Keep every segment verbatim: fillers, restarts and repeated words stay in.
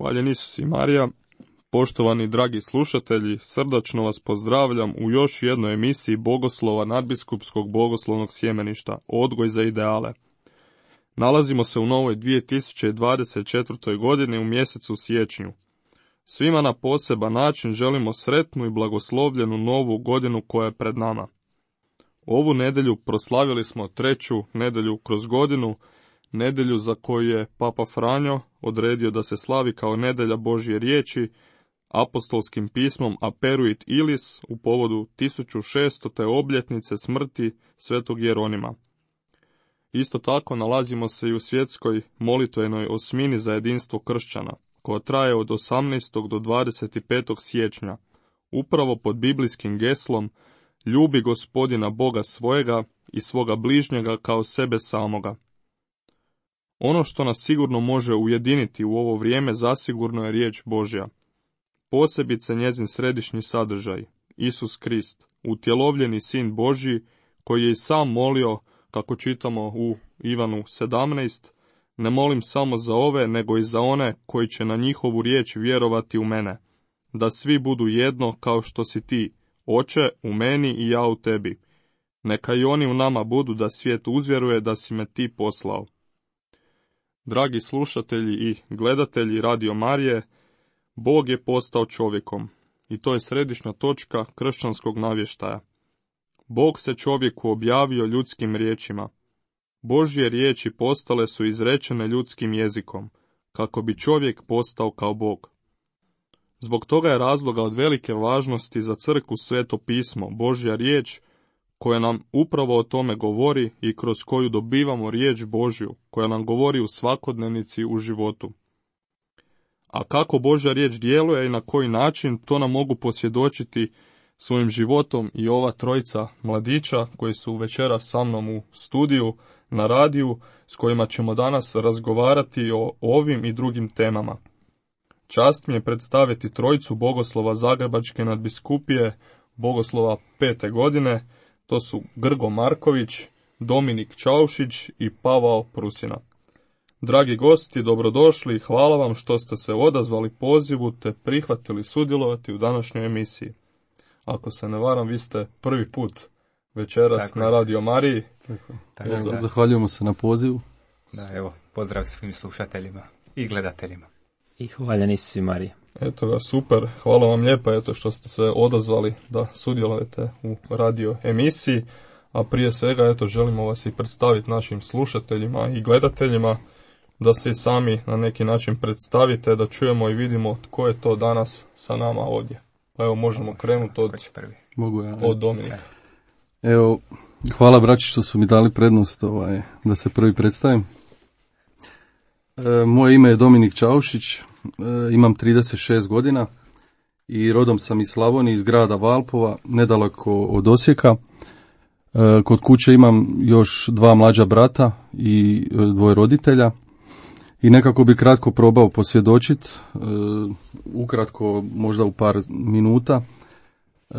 Hvaljen Isus i Marija. Poštovani dragi slušatelji, srdačno vas pozdravljam u još jednoj emisiji Bogoslova nadbiskupskog bogoslovnog sjemeništa, Odgoj za ideale. Nalazimo se u novoj dvije tisuće dvadeset četvrtoj godini u mjesecu siječnju. Svima na poseban način želimo sretnu i blagoslovljenu novu godinu koja je pred nama. Ovu nedjelju proslavili smo treću nedjelju kroz godinu, nedjelju za koju je Papa Franjo odredio da se slavi kao nedjelja Božje riječi, apostolskim pismom Aperuit Ilis u povodu tisuću šestote obljetnice smrti svetog Jeronima. Isto tako nalazimo se i u svjetskoj molitvenoj osmini za jedinstvo kršćana, koja traje od osamnaestog do dvadeset petog siječnja, upravo pod biblijskim geslom Ljubi Gospodina Boga svojega i svoga bližnjega kao sebe samoga. Ono što nas sigurno može ujediniti u ovo vrijeme zasigurno je riječ Božja. Posebice njezin središnji sadržaj, Isus Krist, utjelovljeni sin Božji, koji je i sam molio, kako čitamo u Ivanu sedamnaest, ne molim samo za ove, nego i za one koji će na njihovu riječ vjerovati u mene, da svi budu jedno kao što si ti, Oče, u meni i ja u tebi. Neka i oni u nama budu da svijet uzvjeruje da si me ti poslao. Dragi slušatelji i gledatelji Radio Marije, Bog je postao čovjekom i to je središnja točka kršćanskog navještaja. Bog se čovjeku objavio ljudskim riječima. Božje riječi postale su izrečene ljudskim jezikom, kako bi čovjek postao kao Bog. Zbog toga je razloga od velike važnosti za crkvu Sveto pismo, Božja riječ, koja nam upravo o tome govori i kroz koju dobivamo riječ Božju, koja nam govori u svakodnevnici u životu. A kako Božja riječ djeluje i na koji način, to nam mogu posvjedočiti svojim životom i ova trojica mladića koji su večeras sa mnom u studiju, na radiju, s kojima ćemo danas razgovarati o ovim i drugim temama. Čast mi je predstaviti trojicu bogoslova Zagrebačke nadbiskupije, bogoslova pete godine, to su Grgo Marković, Dominik Čaušić i Pavao Prusina. Dragi gosti, dobrodošli i hvala vam što ste se odazvali pozivu te prihvatili sudjelovati u današnjoj emisiji. Ako se ne varam, vi ste prvi put večeras tako na Radio Mariji. Tako, tako, evo, da. Zahvaljujemo se na pozivu. Da, evo, pozdrav svim slušateljima i gledateljima. I hvaljen Isus i Marija. Eto ga, super, hvala vam lijepa eto što ste se odazvali da sudjelujete u radio emisiji, a prije svega eto želimo vas i predstaviti našim slušateljima i gledateljima, da se i sami na neki način predstavite, da čujemo i vidimo tko je to danas sa nama ovdje. Pa evo možemo krenuti od, Mogu ja, od Dominika. Evo, hvala braći što su mi dali prednost ovaj, da se prvi predstavim. E, moje ime je Dominik Čaušić, e, imam trideset šest godina i rodom sam iz Slavonije, iz grada Valpova, nedaleko od Osijeka. E, kod kuće imam još dva mlađa brata i e, dvoje roditelja. I nekako bi kratko probao posvjedočiti, e, ukratko možda u par minuta, e,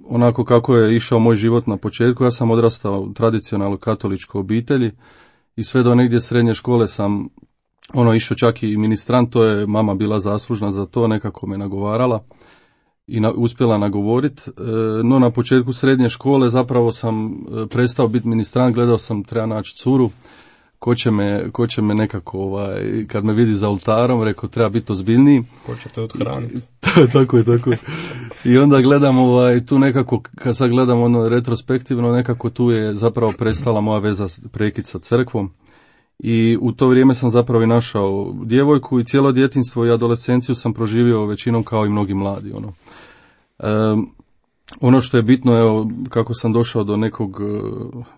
onako kako je išao moj život na početku. Ja sam odrastao u tradicionalnoj katoličkoj obitelji i sve do negdje srednje škole sam ono išao čak i ministrant, to je mama bila zaslužna za to, nekako me nagovarala i na, uspjela nagovoriti. E, no na početku srednje škole zapravo sam e, prestao biti ministrant, gledao sam treba naći curu. Ko će, me, ko će me nekako, ovaj, kad me vidi za oltarom, rekao treba biti ozbiljniji. Ko će te odhraniti. Tako je, tako je. I onda gledam ovaj, tu nekako, kad sad gledam ono retrospektivno, nekako tu je zapravo prestala moja veza, prekid sa crkvom. I u to vrijeme sam zapravo i našao djevojku i cijelo djetinjstvo i adolescenciju sam proživio većinom kao i mnogi mladi. Ono. Um, Ono što je bitno, evo, kako sam došao do nekog,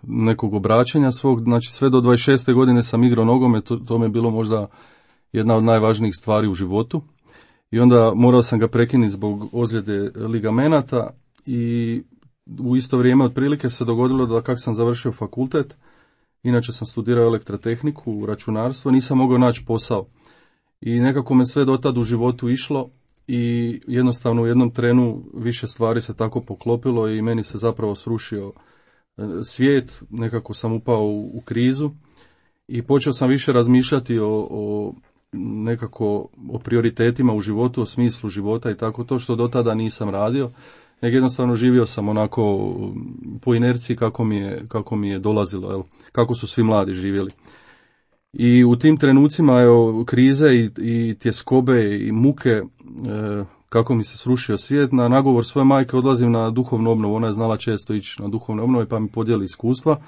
nekog obraćanja svog, znači sve do dvadeset šeste godine sam igrao nogomet, to, to mi je bilo možda jedna od najvažnijih stvari u životu. I onda morao sam ga prekinuti zbog ozljede ligamenata i u isto vrijeme otprilike se dogodilo da kak sam završio fakultet, inače sam studirao elektrotehniku, računarstvo, nisam mogao naći posao. I nekako me sve do tad u životu išlo. I jednostavno u jednom trenu više stvari se tako poklopilo i meni se zapravo srušio svijet, nekako sam upao u, u krizu i počeo sam više razmišljati o, o nekako o prioritetima u životu, o smislu života i tako to što do tada nisam radio, nego jednostavno živio sam onako po inerciji kako mi je, kako mi je dolazilo, jel? Kako su svi mladi živjeli. I u tim trenucima evo, krize i, i tjeskobe i muke, e, kako mi se srušio svijet, na nagovor svoje majke odlazim na duhovnu obnovu. Ona je znala često ići na duhovne obnove pa mi podijeli iskustva.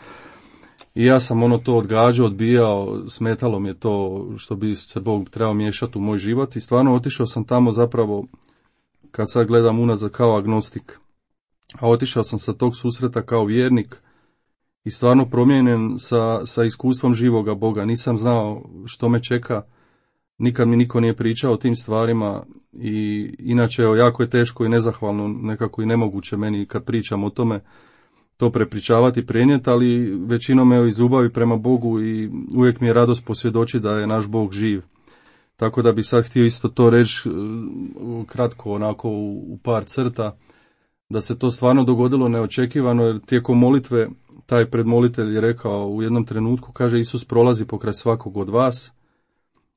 I ja sam ono to odgađao, odbijao, smetalo mi je to što bi se Bog trebao miješati u moj život i stvarno otišao sam tamo zapravo, kad sad gledam unazad, kao agnostik. A otišao sam sa tog susreta kao vjernik i stvarno promijenjen sa, sa iskustvom živoga Boga. Nisam znao što me čeka, nikad mi niko nije pričao o tim stvarima i inače evo, jako je teško i nezahvalno, nekako i nemoguće meni kad pričam o tome to prepričavati, prenijeti, ali većinom evo iz ljubavi prema Bogu i uvijek mi je radost posvjedočiti da je naš Bog živ. Tako da bi sad htio isto to reći kratko, onako u par crta, da se to stvarno dogodilo neočekivano, jer tijekom molitve taj predmolitelj je rekao u jednom trenutku, kaže, Isus prolazi pokraj svakog od vas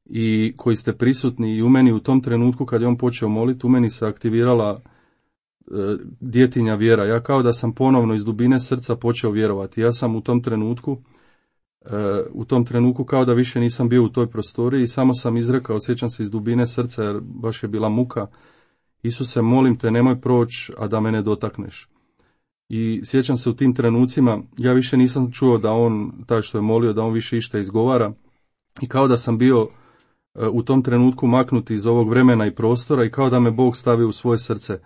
i koji ste prisutni i u meni u tom trenutku kad je on počeo moliti, u meni se aktivirala djetinja vjera. Ja kao da sam ponovno iz dubine srca počeo vjerovati. Ja sam u tom trenutku u tom trenutku kao da više nisam bio u toj prostoriji i samo sam izrekao, sjećam se iz dubine srca jer baš je bila muka, Isuse, molim te, nemoj proći, a da me ne dotakneš. I sjećam se u tim trenucima, ja više nisam čuo da on, taj što je molio, da on više išta izgovara i kao da sam bio u tom trenutku maknut iz ovog vremena i prostora i kao da me Bog stavi u svoje srce.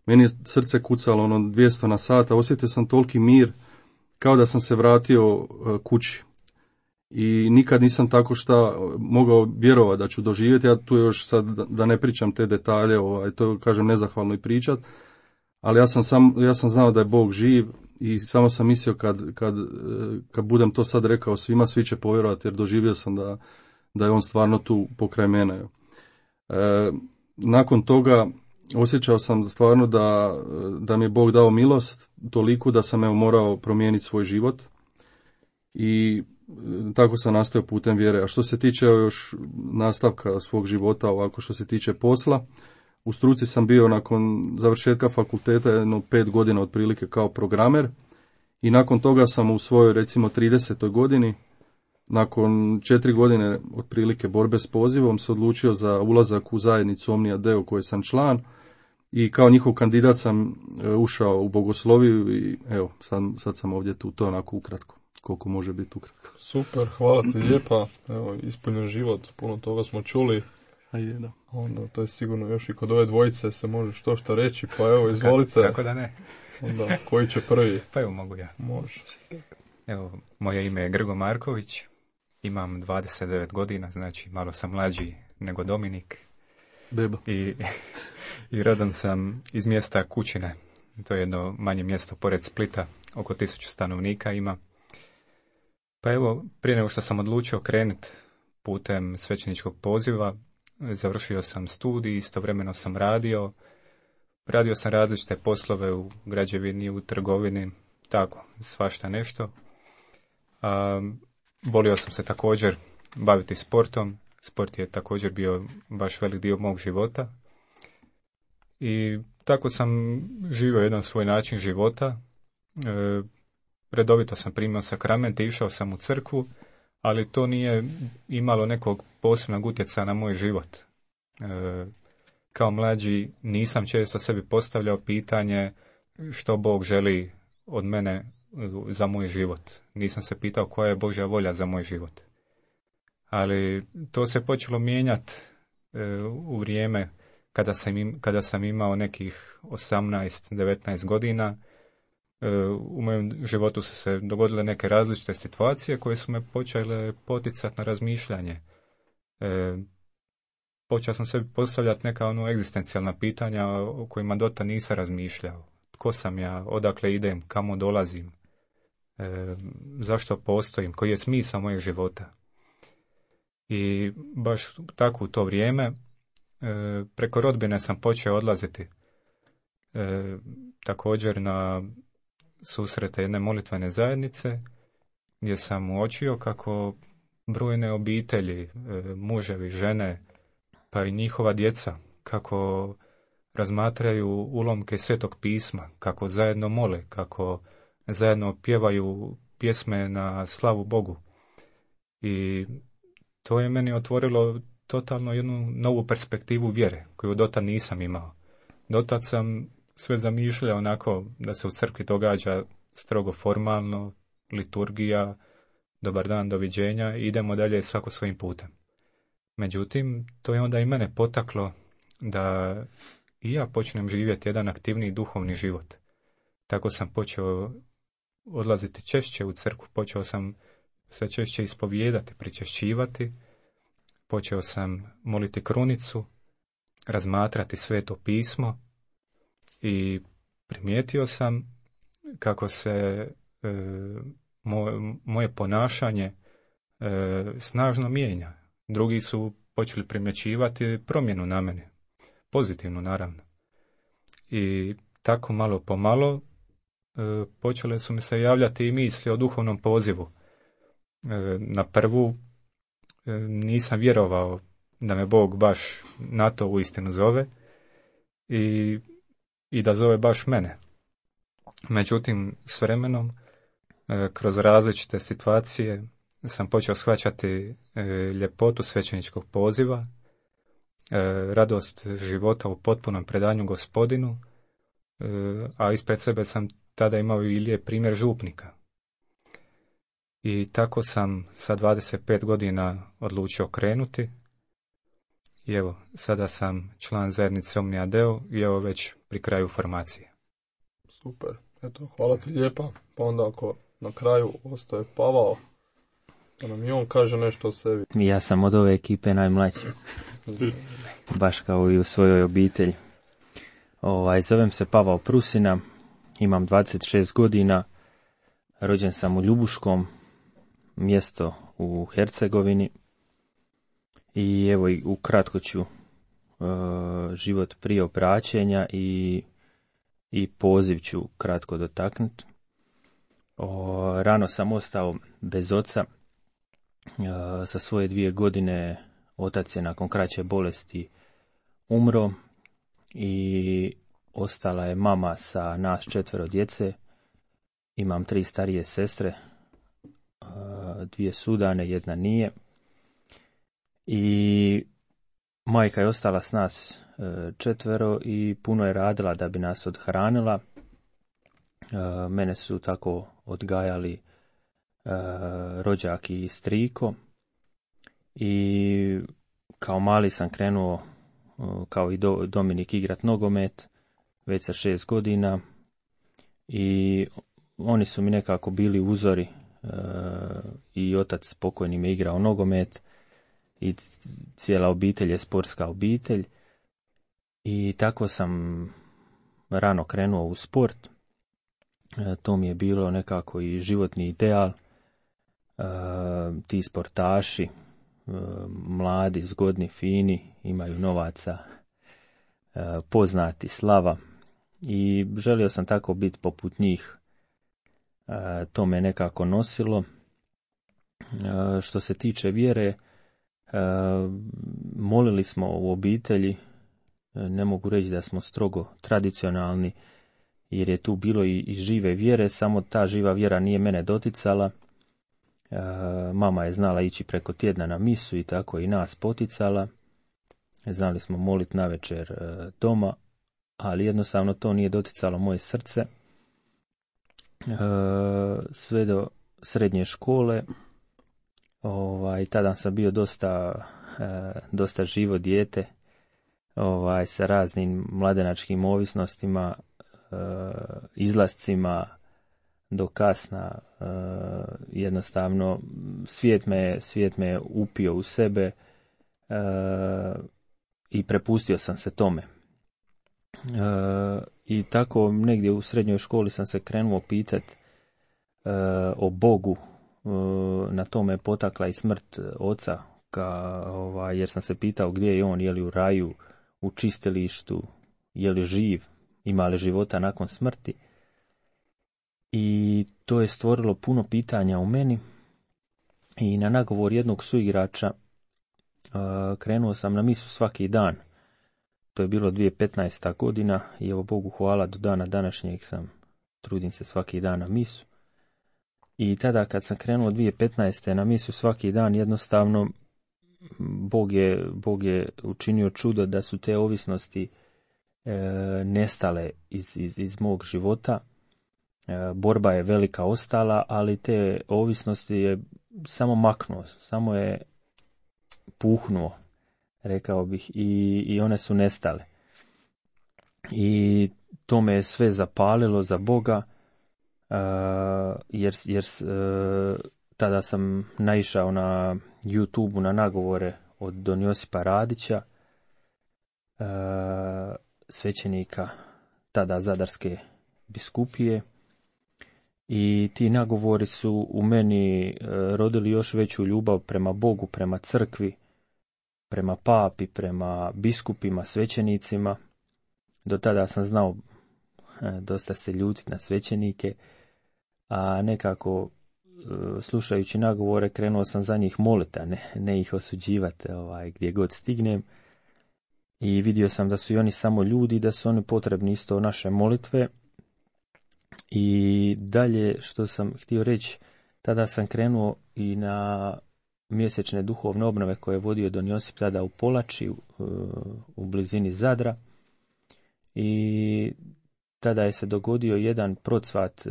Meni je srce kucalo ono dvjesto na sat, a osjetio sam toliki mir kao da sam se vratio kući. I nikad nisam tako šta mogao vjerovati da ću doživjeti. Ja tu još sad da ne pričam te detalje, ovaj, to kažem nezahvalno i pričat, ali ja sam, sam, ja sam znao da je Bog živ i samo sam mislio kad, kad, kad budem to sad rekao svima, svi će povjerovati jer doživio sam da, da je on stvarno tu pokraj mene. E, nakon toga osjećao sam stvarno da, da mi je Bog dao milost toliko da sam evo morao promijeniti svoj život i tako sam nastao putem vjere. A što se tiče još nastavka svog života, ovako što se tiče posla, u struci sam bio nakon završetka fakulteta jedno pet godina otprilike kao programer i nakon toga sam u svojoj recimo tridesetoj godini, nakon četiri godine otprilike borbe s pozivom, se odlučio za ulazak u zajednicu Omnia Deo koje sam član i kao njihov kandidat sam ušao u bogosloviju i evo sad, sad sam ovdje tu, to onako ukratko. Koliko može biti ukratko. Super, hvala ti lijepa. Evo, ispunjen život, puno toga smo čuli. A je, da. Onda to je sigurno još i kod ove dvojice se može što što reći, pa evo, izvolite. Kako da ne? Onda, koji će prvi? Pa evo, mogu ja. Može. Evo, moje ime je Grgo Marković, imam dvadeset devet godina, znači malo sam mlađi nego Dominik. Beba. I, i rodom sam iz mjesta Kućine, to je jedno manje mjesto pored Splita, oko tisuću stanovnika ima. Pa evo, prije nego što sam odlučio krenuti putem svećeničkog poziva, završio sam studij, istovremeno sam radio. Radio sam različite poslove u građevini, u trgovini, tako, svašta nešto. A, volio sam se također baviti sportom. Sport je također bio baš velik dio mog života. I tako sam živio jedan svoj način života. E, redovito sam primao sakramente, išao sam u crkvu, ali to nije imalo nekog posebnog utjecaja na moj život. E, kao mlađi nisam često sebi postavljao pitanje što Bog želi od mene za moj život. Nisam se pitao koja je Božja volja za moj život. Ali to se počelo mijenjati e, u vrijeme kada sam, im, kada sam imao nekih osamnaest devetnaest godina. U mojem životu su se dogodile neke različite situacije koje su me počele poticati na razmišljanje. E, počeo sam sebi postavljati neka ono egzistencijalna pitanja o kojima dota nisam razmišljao. Tko sam ja, odakle idem, kamo dolazim, e, zašto postojim, koji je smisao mojeg života. I baš tako u to vrijeme e, preko rodbine sam počeo odlaziti e, također na susrete jedne molitvene zajednice gdje sam uočio kako brojne obitelji, e, muževi, žene, pa i njihova djeca, kako razmatraju ulomke Svetog pisma, kako zajedno mole, kako zajedno pjevaju pjesme na slavu Bogu. I to je meni otvorilo totalno jednu novu perspektivu vjere, koju dotad nisam imao. Dotad sam sve zamišljao onako da se u crkvi događa strogo formalno, liturgija, dobar dan, doviđenja, i idemo dalje svako svojim putem. Međutim, to je onda i mene potaklo da i ja počnem živjeti jedan aktivniji duhovni život. Tako sam počeo odlaziti češće u crkvu, počeo sam sve češće ispovijedati, pričešćivati, počeo sam moliti krunicu, razmatrati Sveto pismo i primijetio sam kako se e, moje, moje ponašanje e, snažno mijenja. Drugi su počeli primjećivati promjenu na mene, pozitivnu naravno. I tako malo po malo e, počele su mi se javljati i misli o duhovnom pozivu. E, na prvu e, nisam vjerovao da me Bog baš na to uistinu zove i, i da zove baš mene. Međutim, s vremenom, e, kroz različite situacije, sam počeo shvaćati e, ljepotu svećeničkog poziva, e, radost života u potpunom predanju Gospodinu, e, a ispred sebe sam tada imao i lijep primjer župnika. I tako sam sa dvadeset pet godina odlučio krenuti. I evo, sada sam član zajednice Omnia Deo i evo već pri kraju formacije. Super, eto, hvala ti lijepa. Pa onda ako na kraju ostaje Pavao, da nam i on kaže nešto o sebi. Ja sam od ove ekipe najmlađi. Baš kao i u svojoj obitelji. Ovaj, zovem se Pavao Prusina, imam dvadeset šest godina, rođen sam u Ljubuškom, mjesto u Hercegovini. I evo, ukratko ću uh, život prije obraćenja i, i poziv ću kratko dotaknuti. O, rano sam ostao bez oca. Uh, sa svoje dvije godine otac je nakon kraće bolesti umro i ostala je mama sa nas četvero djece. Imam tri starije sestre, uh, dvije su udane, jedna nije. I majka je ostala s nas četvero i puno je radila da bi nas odhranila. Mene su tako odgajali rođak i striko. I kao mali sam krenuo, kao i Dominik, igrat nogomet, već sa šest godina. I oni su mi nekako bili uzori. I otac pokojni me igrao nogomet. I cijela obitelj je sportska obitelj. I tako sam rano krenuo u sport. E, to mi je bilo nekako i životni ideal. E, ti sportaši, e, mladi, zgodni, fini, imaju novaca, e, poznati, slava. I želio sam tako biti poput njih. E, to me nekako nosilo. E, što se tiče vjere, E, molili smo u obitelji, e, ne mogu reći da smo strogo tradicionalni, jer je tu bilo i, i žive vjere, samo ta živa vjera nije mene doticala. E, mama je znala ići preko tjedna na misu i tako i nas poticala. Znali smo moliti navečer e, doma, ali jednostavno to nije doticalo moje srce. E, sve do srednje škole. Ovaj, tada sam bio dosta, e, dosta živo dijete, ovaj, sa raznim mladenačkim ovisnostima, e, izlascima do kasna. E, jednostavno, svijet me, svijet me upio u sebe e, i prepustio sam se tome. E, I tako negdje u srednjoj školi sam se krenuo pitati e, o Bogu. Na tome je potakla i smrt oca, ka, ovaj, jer sam se pitao gdje je on, je li u raju, u čistilištu, je li živ, ima li života nakon smrti. I to je stvorilo puno pitanja u meni I na nagovor jednog suigrača uh, krenuo sam na misu svaki dan. To je bilo dvije tisuće petnaesta. godina i evo Bogu hvala, do dana današnjeg sam, trudim se svaki dan na misu. I tada kad sam krenuo dvije tisuće petnaeste. na misu svaki dan, jednostavno Bog je, Bog je učinio čudo da su te ovisnosti e, nestale iz, iz, iz mog života. E, borba je velika ostala, ali te ovisnosti je samo maknuo, samo je puhnuo, rekao bih, i, i one su nestale. I to me je sve zapalilo za Boga, uh, jer, jer uh, tada sam naišao na YouTubeu na nagovore od Don Josipa Radića, uh, svećenika tada Zadarske biskupije, i ti nagovori su u meni uh, rodili još veću ljubav prema Bogu, prema crkvi, prema papi, prema biskupima, svećenicima. Do tada sam znao dosta se ljutiti na svećenike, a nekako slušajući nagovore krenuo sam za njih moliti, a ne, ne ih osuđivati ovaj, gdje god stignem. I vidio sam da su i oni samo ljudi, da su oni potrebni isto naše molitve. I dalje što sam htio reći, tada sam krenuo i na mjesečne duhovne obnove koje je vodio Don Josip tada u Polači, u, u blizini Zadra. I tada je se dogodio jedan procvat,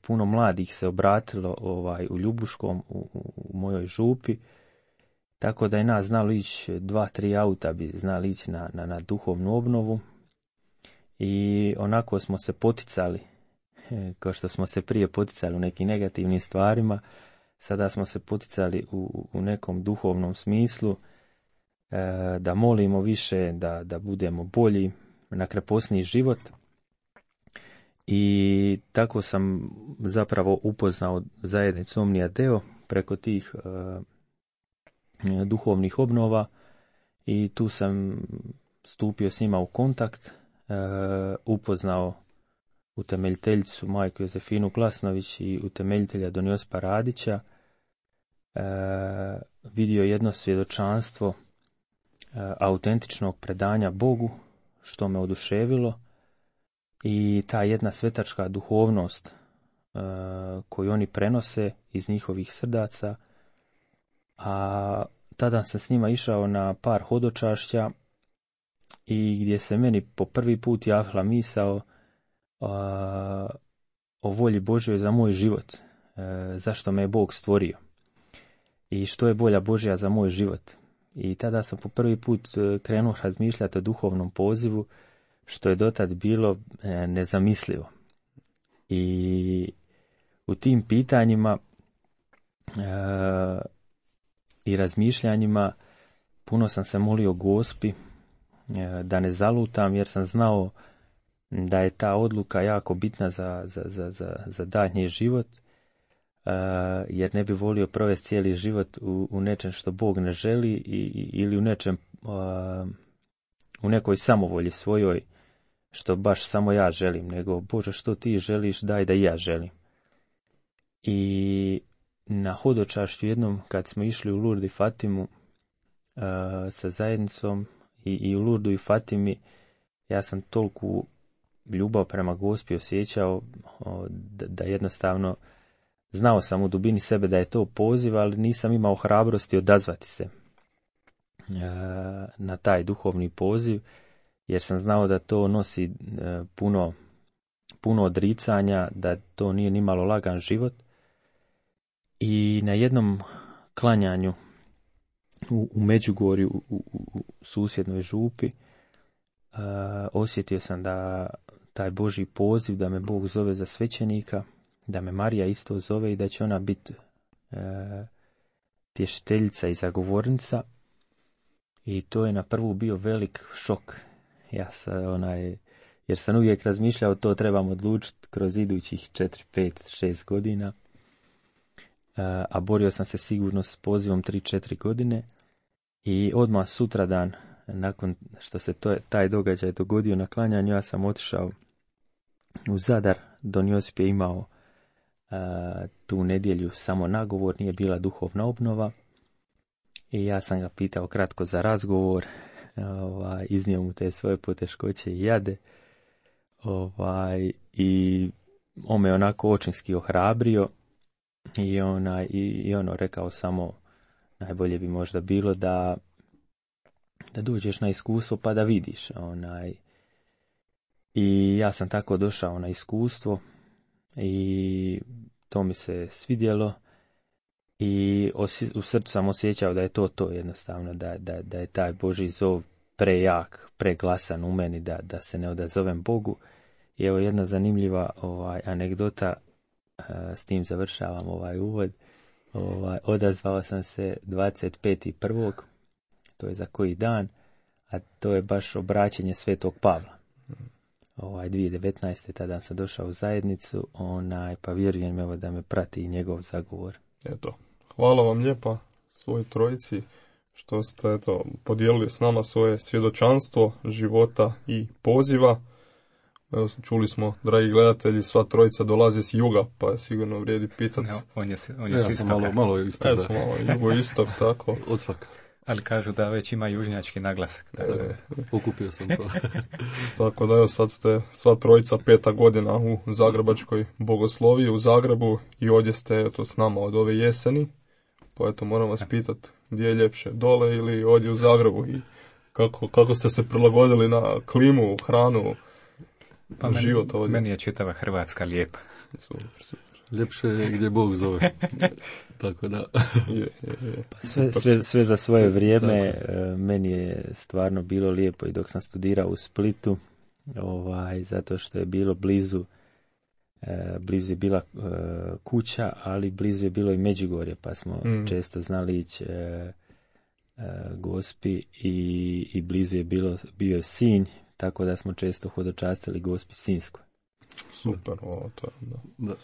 puno mladih se obratilo ovaj, u Ljubuškom, u, u mojoj župi, tako da je nas znalo ići, dva, tri auta bi znali ići na, na, na duhovnu obnovu. I onako smo se poticali, kao što smo se prije poticali u nekim negativnim stvarima, sada smo se poticali u, u nekom duhovnom smislu, da molimo više, da, da budemo bolji, na kreposniji život. I tako sam zapravo upoznao zajednicu Omnia Deo preko tih uh, duhovnih obnova, i tu sam stupio s njima u kontakt, uh, upoznao utemeljiteljicu majku Jozefinu Klasnović i utemeljitelja Don Josipa Radića, uh, vidio jedno svjedočanstvo uh, autentičnog predanja Bogu, što me oduševilo, i ta jedna svetačka duhovnost uh, koju oni prenose iz njihovih srdaca. A tada sam s njima išao na par hodočašća i gdje se meni po prvi put javila misao uh, o volji Božjoj za moj život, uh, zašto me je Bog stvorio i što je volja Božja za moj život. I tada sam po prvi put krenuo razmišljati o duhovnom pozivu, što je dotad bilo e, nezamislivo. I u tim pitanjima e, i razmišljanjima puno sam se molio Gospi e, da ne zalutam, jer sam znao da je ta odluka jako bitna za, za, za, za, za daljnji život, Uh, jer ne bi volio provesti cijeli život u, u nečem što Bog ne želi, i, ili u nečem uh, u nekoj samovolji svojoj što baš samo ja želim, nego Bože, što ti želiš, daj da i ja želim. I na hodočašću jednom kad smo išli u Lurdu i Fatimu uh, sa zajednicom, i, i u Lurdu i Fatimi ja sam toliku ljubav prema Gospi osjećao uh, da, da jednostavno znao sam u dubini sebe da je to poziv, ali nisam imao hrabrosti odazvati se na taj duhovni poziv, jer sam znao da to nosi puno, puno odricanja, da to nije nimalo lagan život. I na jednom klanjanju u, u Međugorju, u, u, u susjednoj župi, osjetio sam da taj Božji poziv, da me Bog zove za svećenika, da me Marija isto zove i da će ona biti e, tješiteljica i zagovornica. I to je na prvu bio velik šok. Ja sam onaj, jer sam uvijek razmišljao to trebam odlučiti kroz idućih četiri, pet, šest godina. E, a borio sam se sigurno s pozivom tri, četiri godine. I odmah sutradan, nakon što se to, taj događaj dogodio na klanjanju, ja sam otišao u Zadar. Don Josip je imao tu nedjelju samo nagovor, nije bila duhovna obnova. I ja sam ga pitao kratko za razgovor, ovaj, iznio mu te svoje poteškoće i jade. Ovaj, I on me onako očinski ohrabrio i, ona, i, i ono rekao samo najbolje bi možda bilo da, da dođeš na iskustvo pa da vidiš. Onaj. I ja sam tako došao na iskustvo i to mi se svidjelo i osi, u srcu sam osjećao da je to to jednostavno, da, da, da je taj Božji zov prejak, preglasan u meni, da, da se ne odazovem Bogu. I evo jedna zanimljiva ovaj, anegdota, uh, s tim završavam ovaj uvod. Ovaj, odazvao sam se dvadeset petog prvog to je za koji dan, a to je baš obraćenje Svetog Pavla. Ovaj, dvije tisuće devetnaeste tada sam došao u zajednicu, onaj, pa vjerujem evo da me prati i njegov zagovor. Eto, hvala vam lijepa svoj trojici što ste eto, podijelili s nama svoje svjedočanstvo života i poziva. Evo, čuli smo, dragi gledatelji, sva trojica dolazi s juga, pa sigurno vrijedi pitati. No, on je, on je ja s istoka. malo, malo istok, da. Malo jugoistok, tako. Od svaka. Ali kažu da već ima južnjački naglasak. Tako. E, pokupio sam to. Tako da evo sad ste sva trojica peta godina u Zagrebačkoj bogosloviji u Zagrebu i ovdje ste eto, s nama od ove jeseni. Pa eto moram vas pitati gdje je ljepše, dole ili ovdje u Zagrebu i kako, kako ste se prilagodili na klimu, hranu, pa meni, život ovdje. Meni je čitava Hrvatska lijepa. Super, super. Ljepše je gdje Bog zove. Tako da. Je, je, je. Sve, sve, sve za svoje vrijeme. Meni je stvarno bilo lijepo i dok sam studirao u Splitu, ovaj, zato što je bilo blizu, blizu je bila kuća, ali blizu je bilo i Međugorje, pa smo mm. često znali ići Gospi i, i blizu je bilo, bio je Sinj, tako da smo često hodočastili Gospi Sinjskoj. Super, o, to je, da. Da.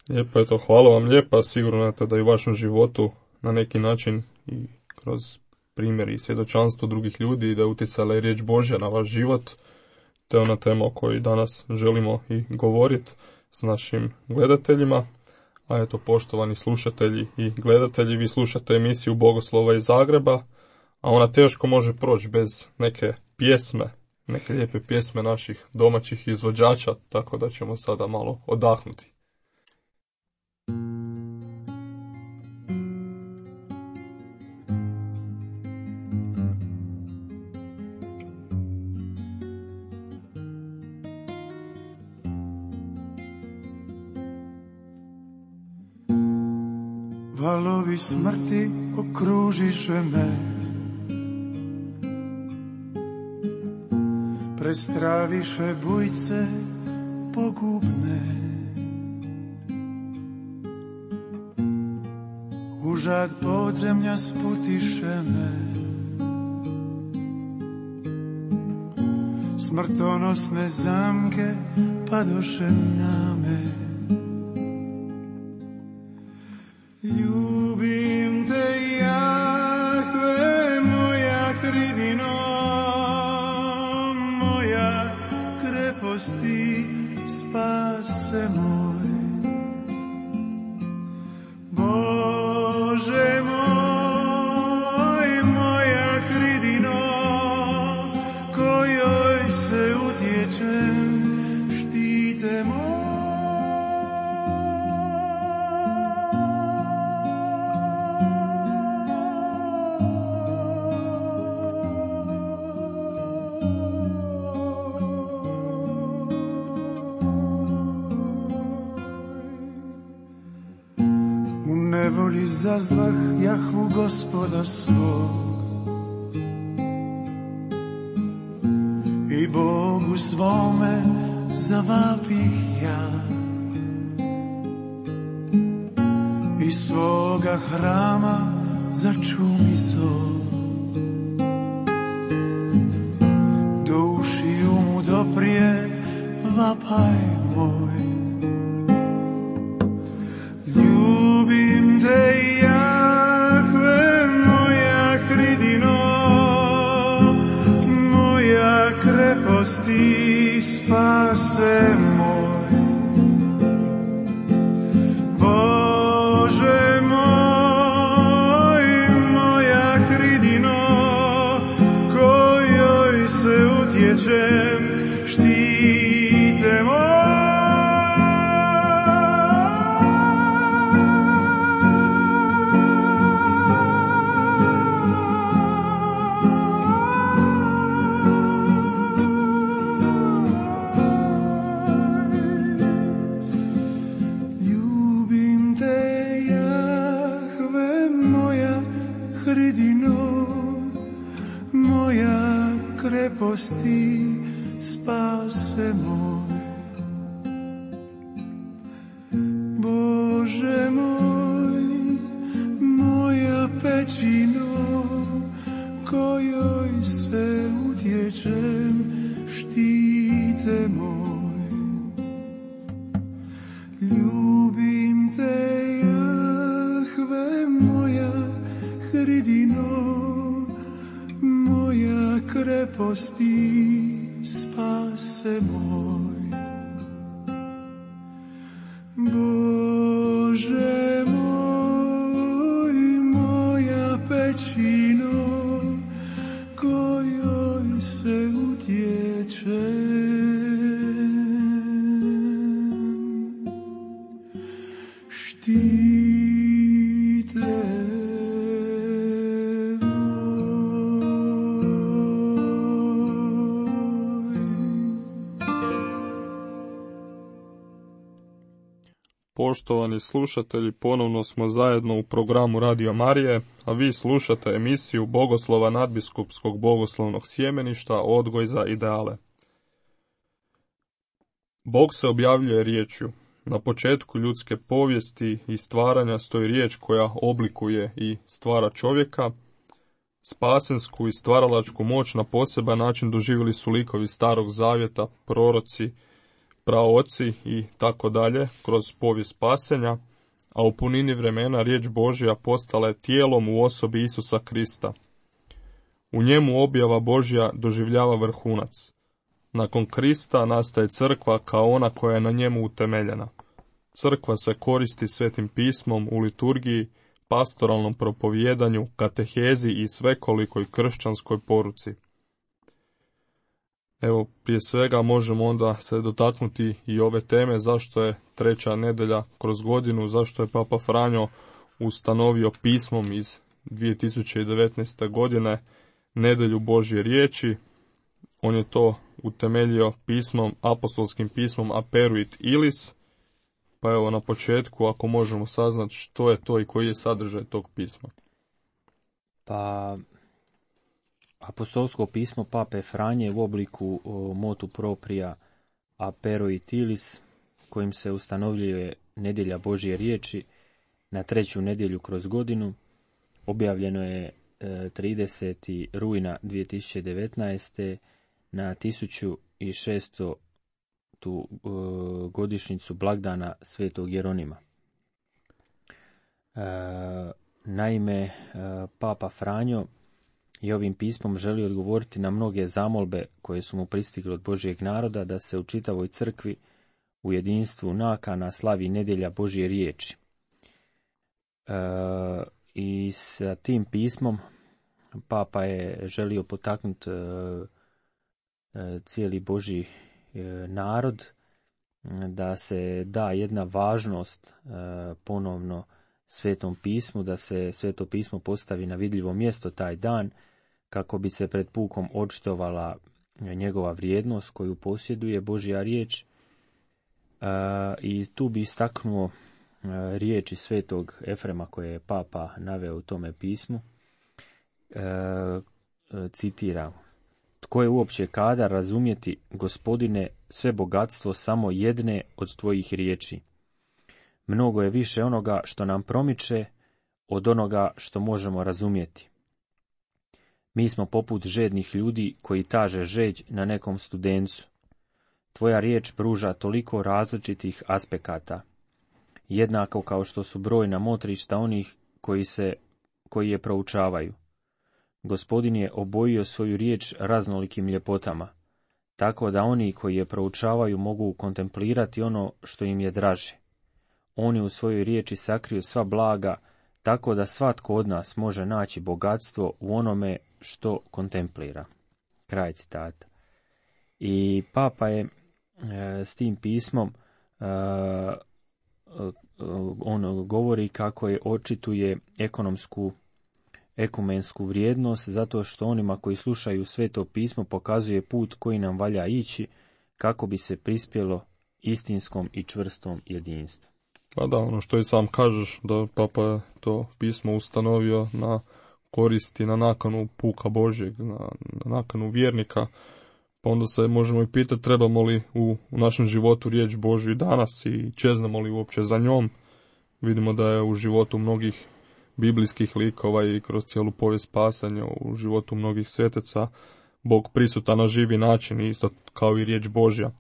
Lijepo, eto, hvala vam lijepa, sigurno eto, da i u vašem životu na neki način i kroz primjer i svjedočanstvo drugih ljudi i da je utjecala i riječ Božja na vaš život, te ona tema o kojoj danas želimo i govoriti s našim gledateljima. A eto, poštovani slušatelji i gledatelji, vi slušate emisiju Bogoslova iz Zagreba, a ona teško može proći bez neke pjesme, neke lijepe pjesme naših domaćih izvođača, tako da ćemo sada malo odahnuti. Valovi smrti okružiše me, prestraviše bujce pogubne. Užad podzemlja sputiše me, smrtonosne zamke padoše na me. Ljubim te, Jahve, moja hridino, moja kreposti, spase moj. Bože moj, moja hridino, kojoj se utječem, štite moj. Zazvah Jahvu Gospoda svog i Bogu svome zavapih ja. Iz svoga hrama začumi zov, do ušiju mu doprije vapaj moj. Ljubim te, Jahve, moja hridino, moja kreposti, spase moj. kreposti, spase moj. Bože moj, moja pećino, kojoj se utječem, štite moj. Ljubim te, Jahve, moja hridino, moja kreposti, spase moj. Bože moj, moja pećino, kojoj se utječem, štite Poštovani slušatelji, ponovno smo zajedno u programu Radio Marije, a vi slušate emisiju Bogoslova nadbiskupskog bogoslovnog sjemeništa Odgoj za ideale. Bog se objavljuje riječju. Na početku ljudske povijesti i stvaranja stoji riječ koja oblikuje i stvara čovjeka. Spasensku i stvaralačku moć na poseban način doživjeli su likovi Starog zavjeta, proroci, praoci i tako dalje kroz povijest spasenja, a u punini vremena riječ Božja postala je tijelom u osobi Isusa Krista. U njemu objava Božja doživljava vrhunac. Nakon Krista nastaje crkva kao ona koja je na njemu utemeljena. Crkva se koristi Svetim pismom u liturgiji, pastoralnom propovijedanju, katehezi i svekolikoj kršćanskoj poruci. Evo, prije svega možemo onda se dotaknuti i ove teme, zašto je treća nedelja kroz godinu, zašto je Papa Franjo ustanovio pismom iz dvije tisuće devetnaeste. godine nedelju Božje riječi. On je to utemeljio pismom, apostolskim pismom Aperuit Ilis. Pa evo na početku, ako možemo saznati što je to i koji je sadržaj tog pisma. Pa apostolsko pismo Pape Franje u obliku o, motu propria Aperuit Ilis, kojim se ustanovljuje nedjelja Božje riječi na treću nedjelju kroz godinu, objavljeno je e, tridesetog rujna dvije tisuće devetnaeste. na tisuću šesnaestu tu e, godišnjicu blagdana Svetog Jeronima. E, naime, e, Papa Franjo i ovim pismom želi odgovoriti na mnoge zamolbe koje su mu pristigle od Božjeg naroda da se u čitavoj crkvi u jedinstvu nakana slavi nedjelja Božje riječi. E, I sa tim pismom Papa je želio potaknuti e, cijeli Božji narod da se da jedna važnost ponovno Svetom pismu, da se Sveto pismo postavi na vidljivo mjesto taj dan kako bi se pred pukom očitovala njegova vrijednost koju posjeduje Božja riječ. I tu bi istaknuo riječi Svetog Efrema koje je Papa naveo u tome pismu. Citiram: tko je uopće kadar razumjeti, Gospodine, sve bogatstvo samo jedne od tvojih riječi? Mnogo je više onoga što nam promiče od onoga što možemo razumjeti. Mi smo poput žednih ljudi koji taže žeđ na nekom studencu. Tvoja riječ pruža toliko različitih aspekata, jednako kao što su brojna motrišta onih koji, se, koji je proučavaju. Gospodin je obojio svoju riječ raznolikim ljepotama, tako da oni koji je proučavaju mogu kontemplirati ono što im je draže. On je u svojoj riječi sakrio sva blaga, tako da svatko od nas može naći bogatstvo u onome što kontemplira. Kraj citata. I Papa je e, s tim pismom e, on govori kako je očituje ekonomsku ekumensku vrijednost, zato što onima koji slušaju Sveto pismo pokazuje put koji nam valja ići kako bi se prispjelo istinskom i čvrstom jedinstvu. Pa da, ono što i sam kažeš, da Papa je to pismo ustanovio na koristi, na nakanu puka Božjeg, na, na nakanu vjernika Pa onda se možemo i pitati trebamo li u, u našem životu riječ Božju i danas i čeznemo li uopće za njom. Vidimo da je u životu mnogih biblijskih likova i kroz cijelu povijest spasanja, u životu mnogih svetaca, Bog prisutan na živi način, isto kao i riječ Božja.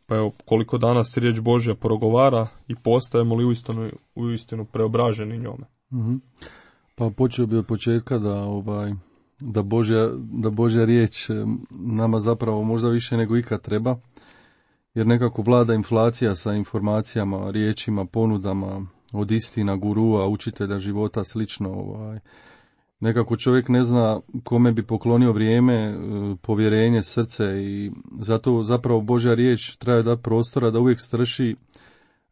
Pa evo, koliko danas riječ Božja progovara i postajemo li uistinu, uistinu preobraženi njome. Mm-hmm. Pa počeo bi od početka da, ovaj, da, Božja, da Božja riječ nama zapravo možda više nego ikad treba, jer nekako vlada inflacija sa informacijama, riječima, ponudama, od istina, gurua, učitelja života, slično. Ovaj. Nekako čovjek ne zna kome bi poklonio vrijeme, povjerenje, srce i zato zapravo Božja riječ treba dati prostora da uvijek strši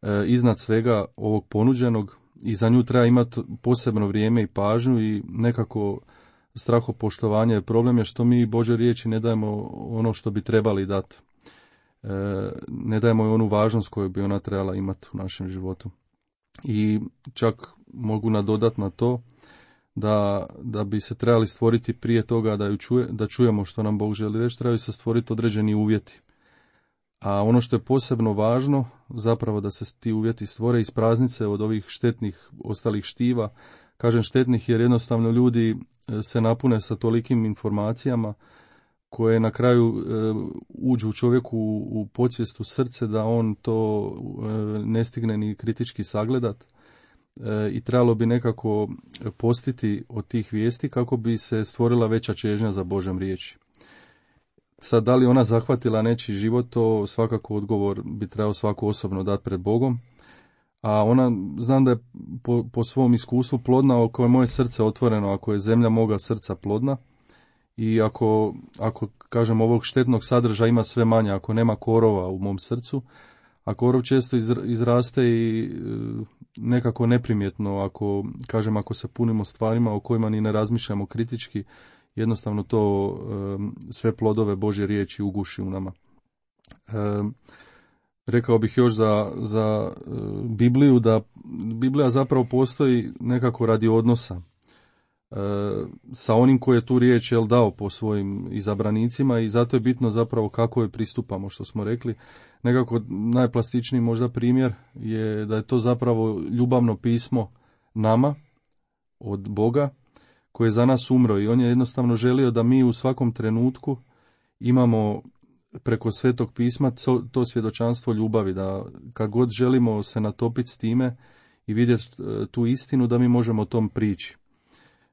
e, iznad svega ovog ponuđenog i za nju treba imati posebno vrijeme i pažnju i nekako strahopoštovanje. Problem je što mi Božje riječi ne dajemo ono što bi trebali dati. E, ne dajemo onu važnost koju bi ona trebala imati u našem životu. I čak mogu nadodati na to da, da bi se trebali stvoriti prije toga da, ju čuje, da čujemo što nam Bog želi reći, trebaju se stvoriti određeni uvjeti. A ono što je posebno važno, zapravo da se ti uvjeti stvore iz praznice od ovih štetnih ostalih štiva. Kažem štetnih jer jednostavno ljudi se napune sa tolikim informacijama koje na kraju e, uđu u čovjeku u, u podsvijest, u srce, da on to e, ne stigne ni kritički sagledat. E, I trebalo bi nekako postiti od tih vijesti kako bi se stvorila veća čežnja za Božjom riječi. Sad, da li ona zahvatila nečiji život, to svakako odgovor bi trebao svako osobno dati pred Bogom. A ona, znam da je po, po svom iskustvu plodna, ako je moje srce otvoreno, ako je zemlja moga srca plodna, i ako, ako kažem, ovog štetnog sadržaja ima sve manje, ako nema korova u mom srcu, a korov često izraste i nekako neprimjetno, ako, kažem, ako se punimo stvarima o kojima ni ne razmišljamo kritički, jednostavno to sve plodove Božje riječi uguši u nama. Rekao bih još za, za Bibliju, da Biblija zapravo postoji nekako radi odnosa sa onim koji je tu riječ jel, dao po svojim izabranicima i zato je bitno zapravo kako je pristupamo, što smo rekli. Nekako najplastičniji možda primjer je da je to zapravo ljubavno pismo nama od Boga koji je za nas umro i on je jednostavno želio da mi u svakom trenutku imamo preko Svetog pisma to svjedočanstvo ljubavi, da kad god želimo se natopiti s time i vidjeti tu istinu, da mi možemo o tom prići.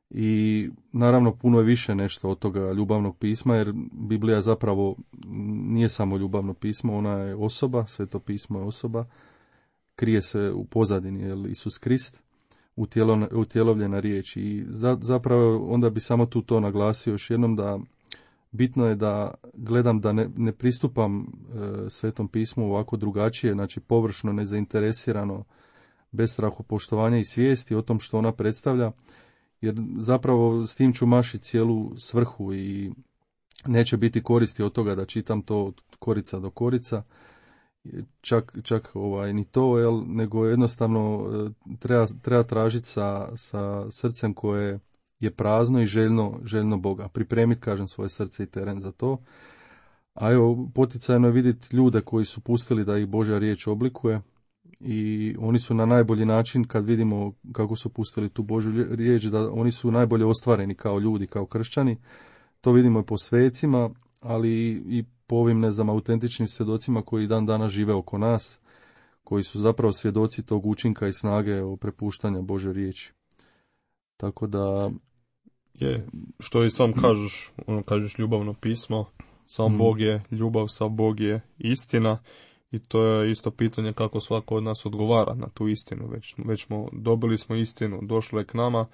I naravno puno je više nešto od toga ljubavnog pisma, jer Biblija zapravo nije samo ljubavno pismo, ona je osoba, Sveto pismo je osoba, krije se u pozadini, jer Isus Krist, utjelovljena riječ. I za, zapravo onda bi samo tu to naglasio još jednom, da bitno je da gledam da ne, ne pristupam e, Svetom pismu ovako drugačije, znači površno, nezainteresirano, bez strahopoštovanja i svijesti o tom što ona predstavlja, jer zapravo s tim ću mašiti cijelu svrhu i neće biti koristi od toga da čitam to od korica do korica, čak, čak ovaj, ni to, jel, nego jednostavno treba, treba tražiti sa, sa srcem koje je prazno i željno, željno Boga. Pripremiti, kažem, svoje srce i teren za to. A evo, poticajno je vidjeti ljude koji su pustili da ih Božja riječ oblikuje i oni su na najbolji način, kad vidimo kako su pustili tu Božju riječ, da oni su najbolje ostvareni kao ljudi, kao kršćani. To vidimo i po svecima, ali i po ovim, ne znam, autentičnim svjedocima koji dan danas žive oko nas, koji su zapravo svjedoci tog učinka i snage o prepuštanja Božje riječi. Tako da je, što i sam kažeš, ono kažeš ljubavno pismo, sam mm. Bog je ljubav, sam Bog je istina i to je isto pitanje kako svako od nas odgovara na tu istinu. Već, već smo, dobili smo istinu, došlo je k nama,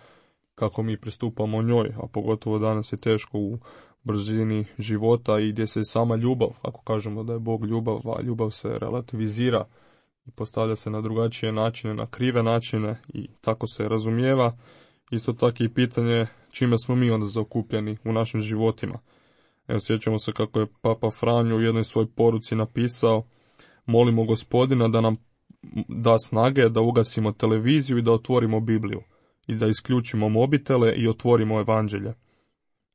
kako mi pristupamo njoj, a pogotovo danas je teško u brzini života i gdje se sama ljubav, ako kažemo da je Bog ljubav, a ljubav se relativizira i postavlja se na drugačije načine, na krive načine i tako se razumijeva. Isto tako i pitanje čime smo mi onda zaokupljeni u našim životima. Evo, sjećamo se kako je Papa Franjo u jednoj svojoj poruci napisao: molimo Gospodina da nam da snage da ugasimo televiziju i da otvorimo Bibliju i da isključimo mobitele i otvorimo evanđelje.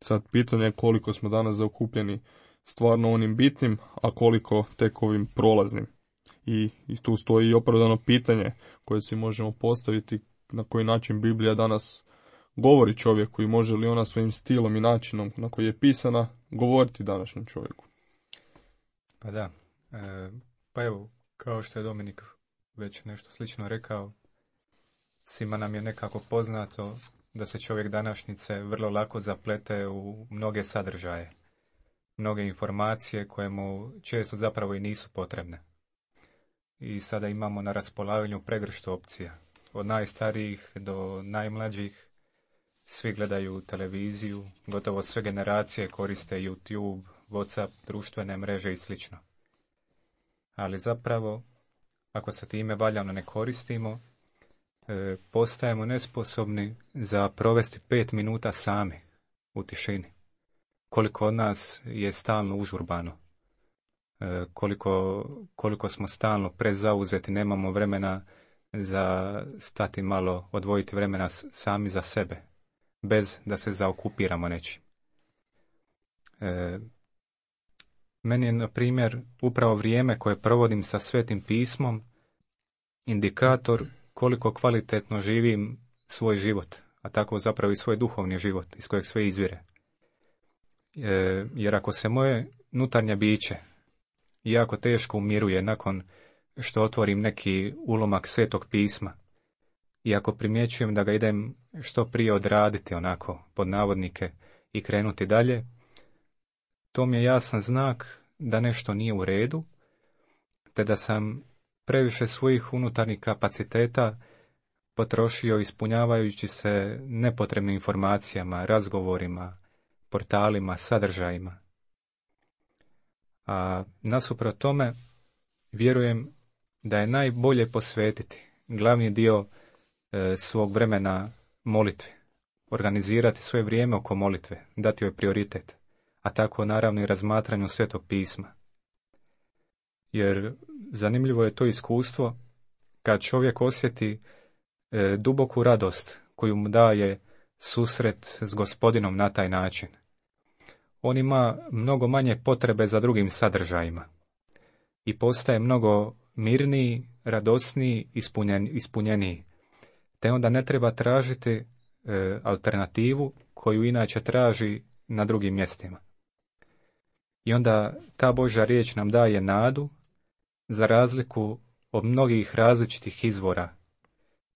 Sad pitanje je koliko smo danas zaokupljeni stvarno onim bitnim, a koliko tek ovim prolaznim. I, i tu stoji i opravdano pitanje koje si možemo postaviti, na koji način Biblija danas govori čovjeku i može li ona svojim stilom i načinom na koji je pisana govoriti današnjem čovjeku. Pa da, e, pa evo, kao što je Dominik već nešto slično rekao, svima nam je nekako poznato da se čovjek današnjice vrlo lako zaplete u mnoge sadržaje, mnoge informacije koje mu često zapravo i nisu potrebne. I sada imamo na raspolaganju pregršt opcija. Od najstarijih do najmlađih svi gledaju televiziju, gotovo sve generacije koriste YouTube, WhatsApp, društvene mreže i sl. Ali zapravo, ako se time valjano ne koristimo, e, postajemo nesposobni za provesti pet minuta sami u tišini. Koliko od nas je stalno užurbano, e, koliko, koliko smo stalno prezauzeti, nemamo vremena za stati malo, odvojiti vremena sami za sebe, bez da se zaokupiramo nečim. E, meni je, na primjer, upravo vrijeme koje provodim sa Svetim pismom indikator koliko kvalitetno živim svoj život, a tako zapravo i svoj duhovni život iz kojeg sve izvire. E, jer ako se moje unutarnje biće jako teško umiruje nakon što otvorim neki ulomak Svetog pisma, i ako primjećujem da ga idem što prije odraditi onako, pod navodnike, i krenuti dalje, to mi je jasan znak da nešto nije u redu, te da sam previše svojih unutarnjih kapaciteta potrošio ispunjavajući se nepotrebnim informacijama, razgovorima, portalima, sadržajima. A nasuprot tome, vjerujem da je najbolje posvetiti glavni dio e, svog vremena molitvi, organizirati svoje vrijeme oko molitve, dati joj prioritet, a tako naravno i razmatranju Svetog pisma. Jer zanimljivo je to iskustvo kad čovjek osjeti e, duboku radost koju mu daje susret s Gospodinom na taj način. On ima mnogo manje potrebe za drugim sadržajima i postaje mnogo mirniji, radosniji, ispunjen, ispunjeniji. Te onda ne treba tražiti e, alternativu koju inače traži na drugim mjestima. I onda ta Božja riječ nam daje nadu, za razliku od mnogih različitih izvora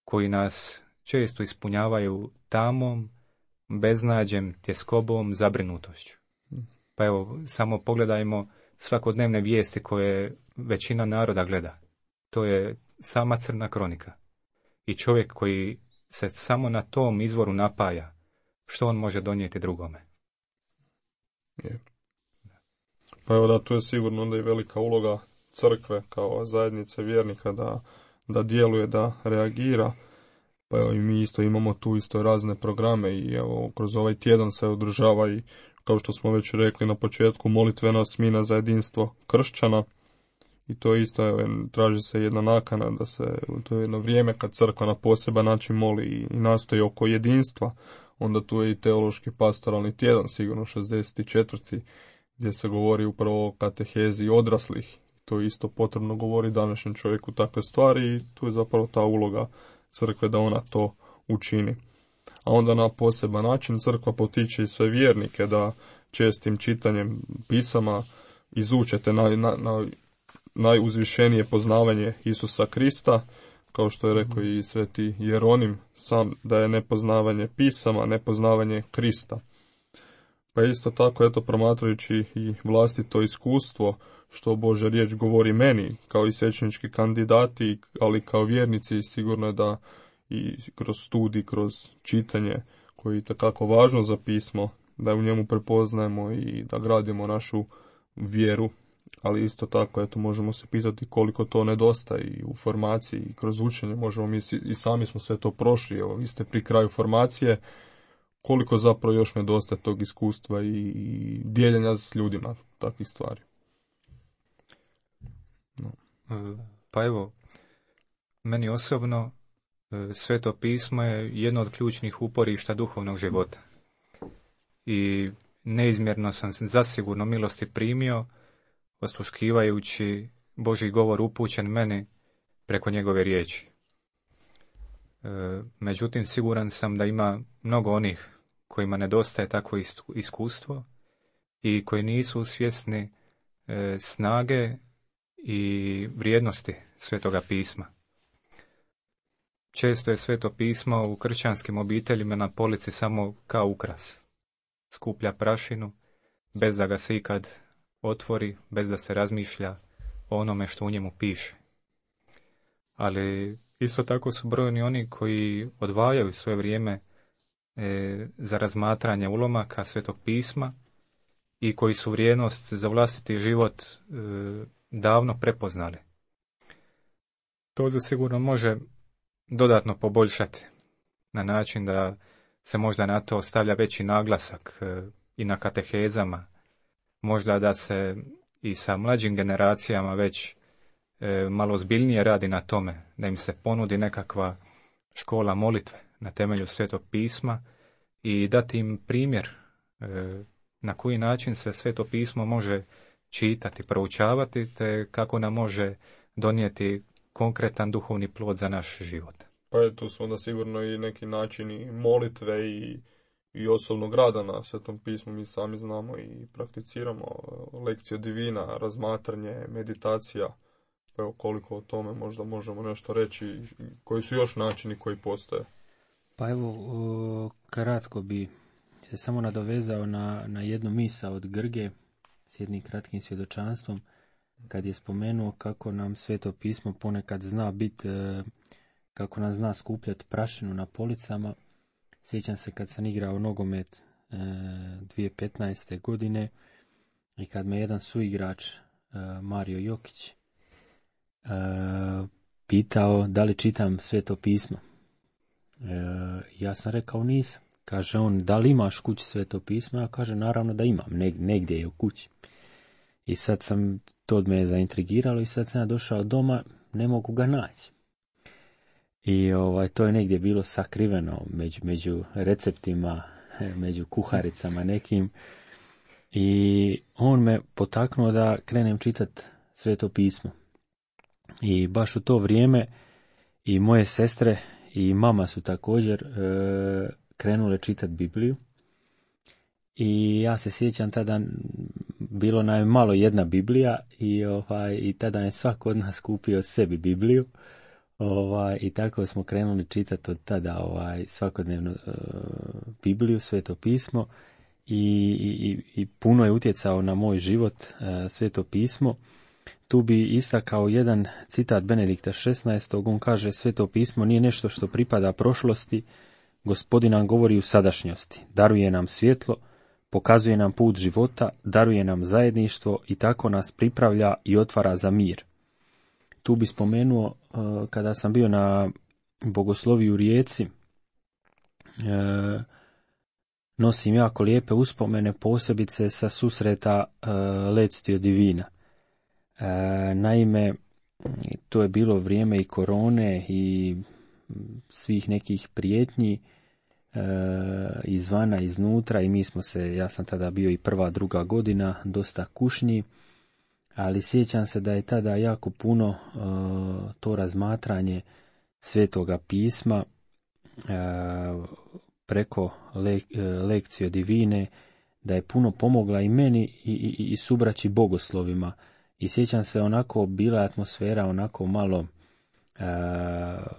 koji nas često ispunjavaju tamom, beznađem, tjeskobom, zabrinutošću. Pa evo, samo pogledajmo svakodnevne vijesti koje većina naroda gleda. To je sama crna kronika. I čovjek koji se samo na tom izvoru napaja, što on može donijeti drugome? Je. Pa evo da, tu je sigurno onda i velika uloga crkve kao zajednice vjernika da, da djeluje, da reagira. Pa evo i mi isto imamo tu isto razne programe i evo kroz ovaj tjedan se održava i, kao što smo već rekli na početku, molitvena smina za jedinstvo kršćana. I to isto, evo, traži se jedna nakana da se, to je jedno vrijeme kad crkva na poseban način moli i, i nastoji oko jedinstva. Onda tu je i teološki pastoralni tjedan, sigurno šezdeset četvrti gdje se govori upravo o katehezi odraslih. To je isto potrebno govori današnjem čovjeku takve stvari i tu je zapravo ta uloga crkve da ona to učini. A onda na poseban način crkva potiče i sve vjernike da čestim čitanjem pisama izučete naj, na, na, najuzvišenije poznavanje Isusa Krista, kao što je rekao i sveti Jeronim, sam da je nepoznavanje pisama, nepoznavanje Krista. Pa isto tako, eto, promatrajući i vlastito iskustvo, što Božja riječ govori meni, kao i svećenički kandidati, ali kao vjernici, sigurno je da i kroz studij, kroz čitanje, koji je itekako važno za pismo, da u njemu prepoznajemo i da gradimo našu vjeru, ali isto tako, eto, možemo se pitati koliko to nedostaje i u formaciji i kroz učenje, možemo mi i sami smo sve to prošli, evo, vi ste pri kraju formacije, koliko zapravo još nedostaje tog iskustva i, i dijeljenja s ljudima takvih stvari. No. Pa evo, meni osobno Sveto pismo je jedno od ključnih uporišta duhovnog života. I neizmjerno sam zasigurno milosti primio, osluškivajući Božji govor upućen meni preko njegove riječi. E, međutim, siguran sam da ima mnogo onih kojima nedostaje takvo iskustvo i koji nisu svjesni e, snage i vrijednosti Svetoga pisma. Često je Sveto pismo u kršćanskim obiteljima na polici samo kao ukras. Skuplja prašinu, bez da ga se ikad otvori, bez da se razmišlja o onome što u njemu piše. Ali isto tako su brojni oni koji odvajaju svoje vrijeme e, za razmatranje ulomaka Svetog pisma i koji su vrijednost za vlastiti život e, davno prepoznali. To zasigurno može dodatno poboljšati na način da se možda na to stavlja veći naglasak e, i na katehezama, možda da se i sa mlađim generacijama već e, malo zbiljnije radi na tome, da im se ponudi nekakva škola molitve na temelju Svetog pisma i dati im primjer e, na koji način se Sveto pismo može čitati, proučavati, te kako nam može donijeti konkretan duhovni plod za naš život. Pa je tu su onda sigurno i neki načini molitve i, i osobnog rada na Svetom pismu. Mi sami znamo i prakticiramo lekciju divina, razmatranje, meditacija. Pa evo koliko o tome možda možemo nešto reći, koji su još načini koji postoje. Pa evo, o, kratko bi se samo nadovezao na, na jednu misao od Grge s jednim kratkim svjedočanstvom, kad je spomenuo kako nam Sveto pismo ponekad zna biti, kako nam zna skupljati prašinu na policama. Sjećam se kad sam igrao nogomet e, dvije tisuće petnaeste. godine i kad me jedan suigrač, e, Mario Jokić, e, pitao da li čitam Sveto pismo. E, ja sam rekao nisam. Kaže on, da li imaš kući Sveto pismo? Ja kaže, naravno da imam, Neg- negdje je u kući. I sad sam, to od me je zaintrigiralo i sad sam ja došao doma, ne mogu ga naći. I ovaj, to je negdje bilo sakriveno među, među receptima, među kuharicama nekim. I on me potaknuo da krenem čitati Sveto pismo. I baš u to vrijeme i moje sestre i mama su također e, krenule čitati Bibliju. I ja se sjećam tada, bilo nam je malo jedna Biblija i, ovaj, i tada je svako od nas kupio sebi Bibliju. Ovaj, I tako smo krenuli čitati od tada ovaj, svakodnevno uh, Bibliju, Sveto pismo i, i, i puno je utjecao na moj život uh, Sveto pismo. Tu bi istakao jedan citat Benedikta šesnaestog. On kaže, Sveto pismo nije nešto što pripada prošlosti, Gospodin nam govori u sadašnjosti, daruje nam svjetlo, pokazuje nam put života, daruje nam zajedništvo i tako nas pripravlja i otvara za mir. Tu bi spomenuo, uh, kada sam bio na bogosloviji u Rijeci, uh, nosim jako lijepe uspomene, posebice sa susreta uh, Lectio Divina. Uh, naime, to je bilo vrijeme i korone i svih nekih prijetnji uh, izvana, iznutra i mi smo se, ja sam tada bio i prva, druga godina, dosta kušnji. Ali sjećam se da je tada jako puno uh, to razmatranje Svetoga pisma uh, preko le, uh, lekcije divine, da je puno pomogla i meni i, i, i subraći bogoslovima. I sjećam se, onako bila atmosfera onako malo, uh,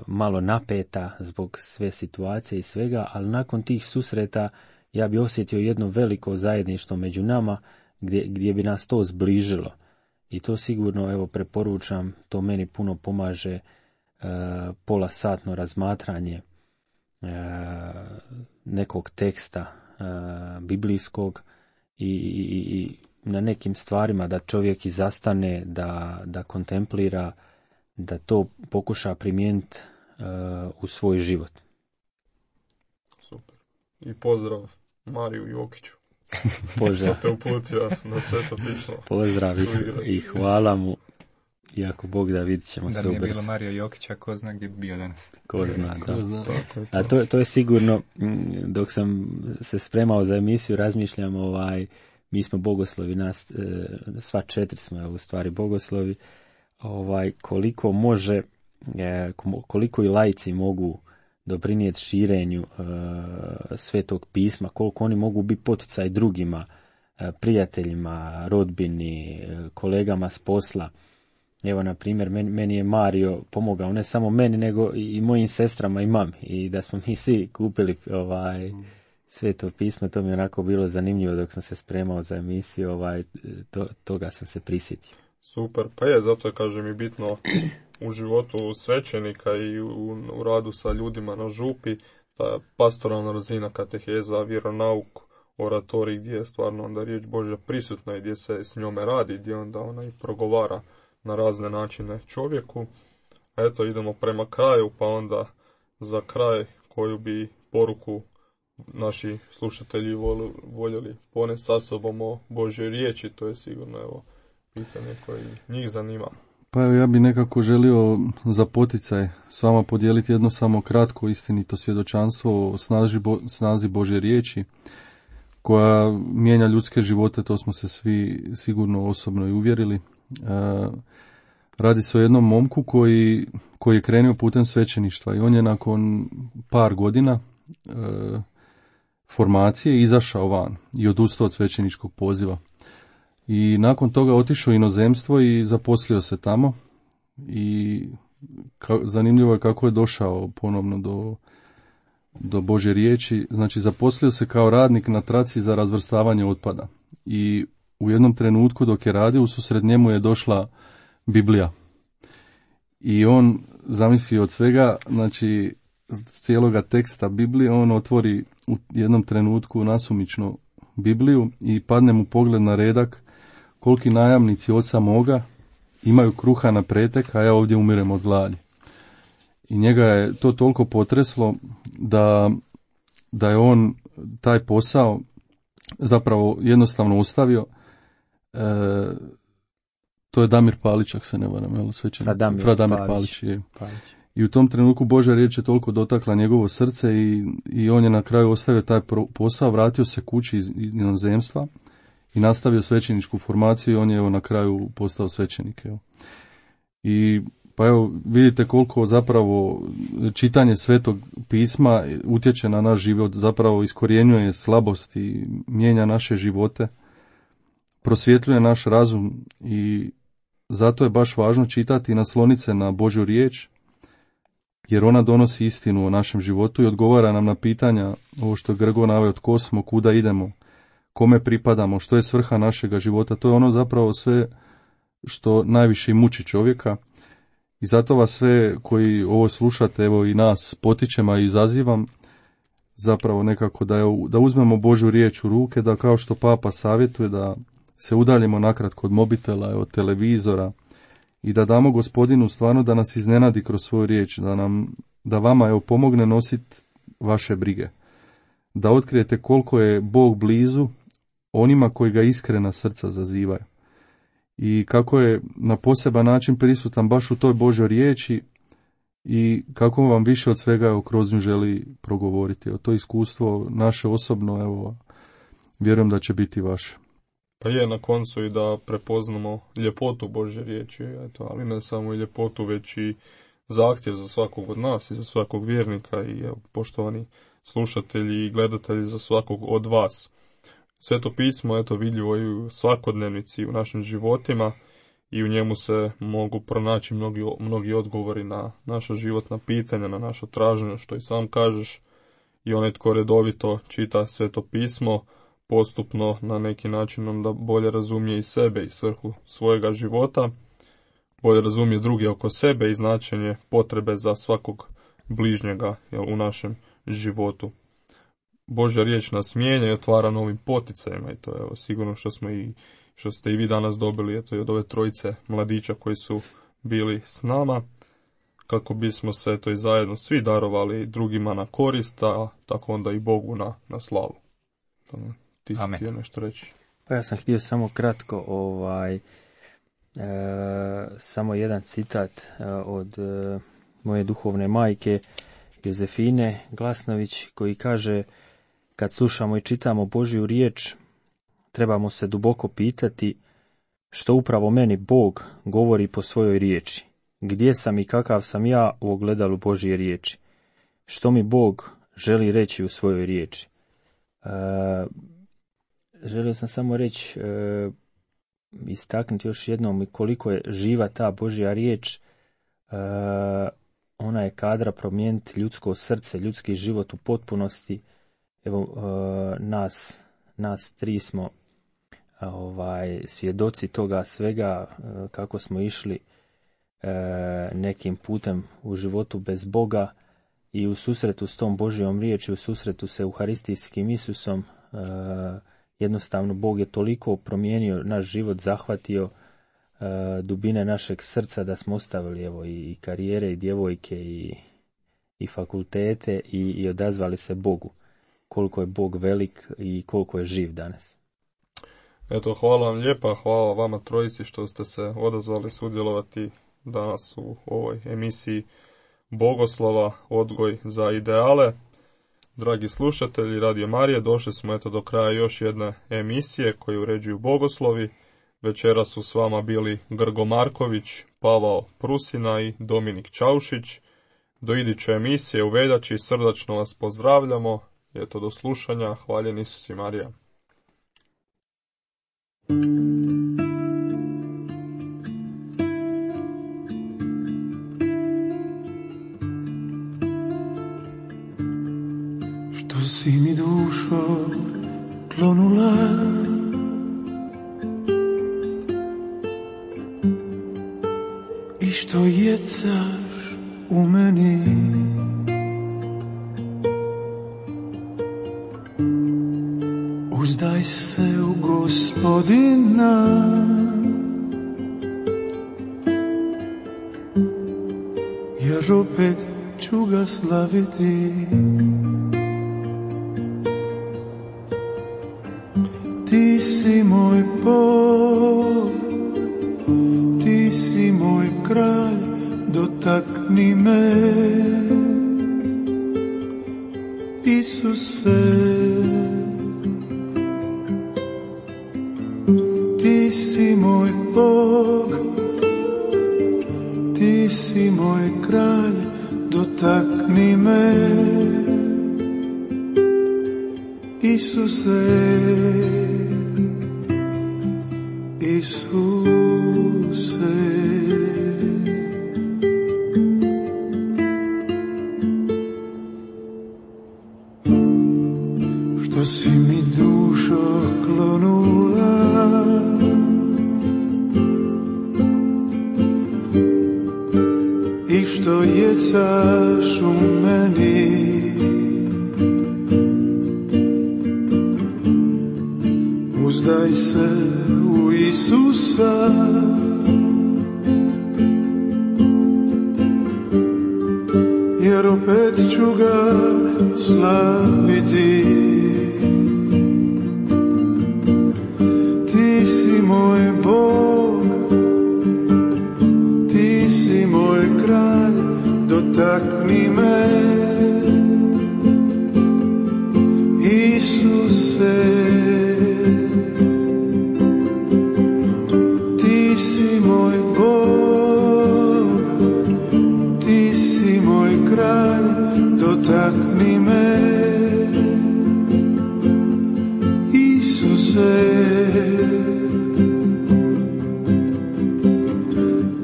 malo napeta zbog sve situacije i svega, ali nakon tih susreta ja bi osjetio jedno veliko zajedništvo među nama gdje, gdje bi nas to zbližilo. I to sigurno, evo, preporučam, to meni puno pomaže e, pola satno razmatranje e, nekog teksta e, biblijskog i, i, i na nekim stvarima da čovjek i zastane, da, da kontemplira, da to pokuša primijeniti e, u svoj život. Super. I pozdrav Mariju Jokiću. Pozdrav. Što te uputio na Sveto pismo. Pozdrav i, i hvala mu i ako Bog da, vidit ćemo da se ubrzo. ubrzo. Da nije bilo Mario Jokića, ko zna gdje bi bio danas. Ko zna, da. Ko zna. Tako je to. A to, to je sigurno, dok sam se spremao za emisiju, razmišljam, ovaj, mi smo bogoslovi, nas, sva četiri smo u stvari bogoslovi, ovaj, koliko može, koliko i laici mogu doprinijeti širenju uh, Svetog pisma, koliko oni mogu biti poticaj drugima, uh, prijateljima, rodbini, uh, kolegama s posla. Evo, na primjer, meni, meni je Mario pomogao, ne samo meni, nego i, i mojim sestrama i mami. I da smo mi svi kupili ovaj, Sveto pismo, to mi je onako bilo zanimljivo dok sam se spremao za emisiju, ovaj, to, toga sam se prisjetio. Super, pa je, zato je, kažem, i bitno u životu svećenika i u, u radu sa ljudima na župi, ta pastoralna razina, kateheza, vjeronauk, oratorij, gdje je stvarno onda riječ Božja prisutna i gdje se s njome radi, gdje onda ona i progovara na razne načine čovjeku. Eto, idemo prema kraju, pa onda za kraj koju bi poruku naši slušatelji voljeli ponesti sa sobom o Božjoj riječi, to je sigurno evo pitanje koje njih zanima. Pa evo, ja bi nekako želio za poticaj s vama podijeliti jedno samo kratko istinito svjedočanstvo o snazi, Bo, snazi Božje riječi koja mijenja ljudske živote, to smo se svi sigurno osobno i uvjerili. E, radi se o jednom momku koji, koji je krenuo putem svećeništva i on je nakon par godina e, formacije izašao van i odustao od svećeničkog poziva. I nakon toga otišao u inozemstvo i zaposlio se tamo i ka, zanimljivo je kako je došao ponovno do, do Božje riječi. Znači, zaposlio se kao radnik na traci za razvrstavanje otpada i u jednom trenutku dok je radio, ususred njemu je došla Biblija. I on, zamisli od svega, znači cijeloga teksta Biblije, on otvori u jednom trenutku nasumično Bibliju i padne mu pogled na redak: koliki najamnici oca moga imaju kruha na pretek, a ja ovdje umirem od gladi. I njega je to toliko potreslo da, da je on taj posao zapravo jednostavno ostavio. E, to je Damir Palić, ako se ne varam, jel, svećenik? Fradamir, Fradamir Palić. Palić je. Palić. I u tom trenutku Božja riječ je toliko dotakla njegovo srce i, i on je na kraju ostavio taj posao, vratio se kući iz inozemstva i nastavio svećeničku formaciju i on je evo na kraju postao svećenik. Evo. I pa evo vidite koliko zapravo čitanje Svetog pisma utječe na naš život, zapravo iskorjenjuje slabosti, mijenja naše živote, prosvjetljuje naš razum i zato je baš važno čitati i nasloniti se na Božju riječ, jer ona donosi istinu o našem životu i odgovara nam na pitanja, ovo što je Grgo naveo, tko smo, kuda idemo, kome pripadamo, što je svrha našega života. To je ono zapravo sve što najviše i muči čovjeka. I zato vas sve koji ovo slušate, evo i nas potičem, a i izazivam zapravo nekako da, je, da uzmemo Božju riječ u ruke, da kao što Papa savjetuje, da se udaljimo nakratko od mobitela, od televizora i da damo Gospodinu stvarno da nas iznenadi kroz svoju riječ, da nam, da vama evo pomogne nositi vaše brige, da otkrijete koliko je Bog blizu onima koji ga iskrena srca zazivaju i kako je na poseban način prisutan baš u toj Božoj riječi i kako vam više od svega evo, kroz nju želi progovoriti. Evo, to iskustvo naše osobno, evo, vjerujem da će biti vaše. Pa je na koncu i da prepoznamo ljepotu Božje riječi, eto, ali ne samo i ljepotu, već i zahtjev za svakog od nas i za svakog vjernika i evo, poštovani slušatelji i gledatelji, za svakog od vas. Sveto pismo, eto, vidljivo i u svakodnevnici u našim životima i u njemu se mogu pronaći mnogi, mnogi odgovori na naša životna pitanja, na naša traženja, što i sam kažeš. I onaj tko redovito čita Sveto pismo, postupno na neki način onda bolje razumije i sebe i svrhu svojega života, bolje razumije druge oko sebe i značenje potrebe za svakog bližnjega, jel, u našem životu. Božja riječ nas mijenja i otvara novim poticajima i to je evo, sigurno što smo i što ste i vi danas dobili, eto, i od ove trojice mladića koji su bili s nama, kako bismo se eto, i zajedno svi darovali drugima na korist, a tako onda i Bogu na, na slavu. Ti si htio nešto reći? Pa ja sam htio samo kratko ovaj, samo jedan citat e, od e, moje duhovne majke Jozefine Glasnović, koji kaže: kad slušamo i čitamo Božju riječ, trebamo se duboko pitati što upravo meni Bog govori po svojoj riječi. Gdje sam i kakav sam ja u ogledalu Božje riječi? Što mi Bog želi reći u svojoj riječi? E, želio sam samo reći, e, istaknuti još jednom koliko je živa ta Božja riječ. E, ona je kadra promijeniti ljudsko srce, ljudski život u potpunosti. Evo, e, nas, nas tri smo ovaj, svjedoci toga svega, e, kako smo išli e, nekim putem u životu bez Boga i u susretu s tom Božjom riječi, u susretu sa Euharistijskim Isusom. E, jednostavno Bog je toliko promijenio naš život, zahvatio e, dubine našeg srca da smo ostavili evo, i, i karijere i djevojke i, i fakultete i, i odazvali se Bogu. Koliko je Bog velik i koliko je živ danas. Eto, hvala vam lijepa, hvala vama trojici što ste se odazvali sudjelovati danas u ovoj emisiji Bogoslova, odgoj za ideale. Dragi slušatelji Radio Marije, došli smo eto do kraja još jedne emisije koju uređuju bogoslovi. Večeras su s vama bili Grgo Marković, Pavao Prusina i Dominik Čaušić. Do iduće emisije u veljači srdačno vas pozdravljamo. Eto, do slušanja. Hvaljen Isus i Marija. Što si mi dušo klonula, i što jecaš u meni, uzdaj se u Gospodina, jer opet ću ga slaviti. Ti si moj Bog, ti si moj kralj, dotakni me, Isuse. Ti si moj Bog, ti si moj kralj, dotakni me, Isuse, Isuse. Što si mi dušo klonula, i što jecaš u meni, uzdaj se u Isusa, jer opet ću ga slaviti. Ti si moj Bog, ti si moj kralj, dotakni me, Isuse. Ti si moj Bog, ti si moj kralj, dotakni me, Isuse.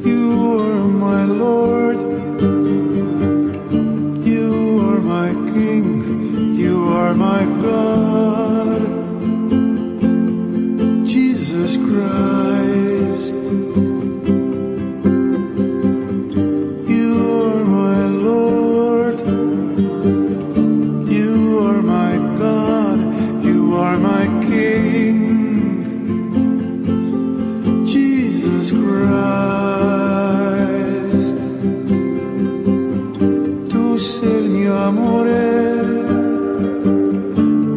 You are my Lord, you are my King, you are my God, Jesus Christ. You are my Lord, you are my God, you are my King, Jesus Christ. Tu sei il mio amore,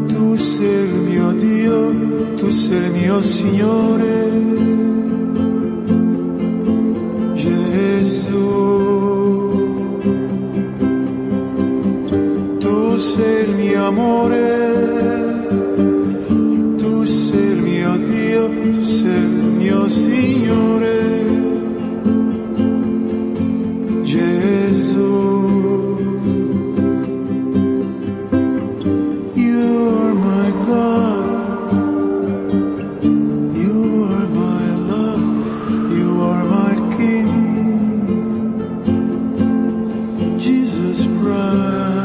tu sei il mio Dio, tu sei il mio Signore, amore, tu sei il mio Dio, tu sei il mio Signore, Gesù. You are my God, you are my love, you are my King, Jesus Christ.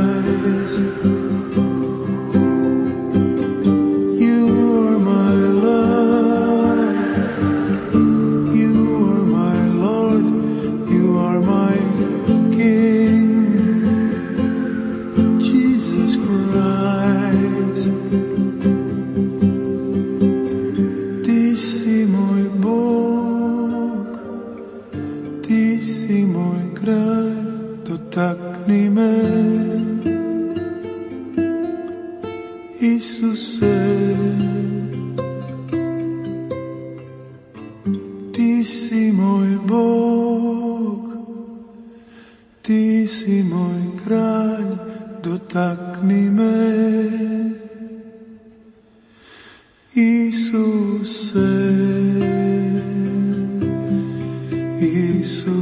You are my love, you are my Lord, you are my King, Jesus Christ. Ti si moj Bog, ti si moj kraj, dotakni me, Isuse. Ti si moj Bog, ti si moj kralj, dotakni me, Isuse, Isuse.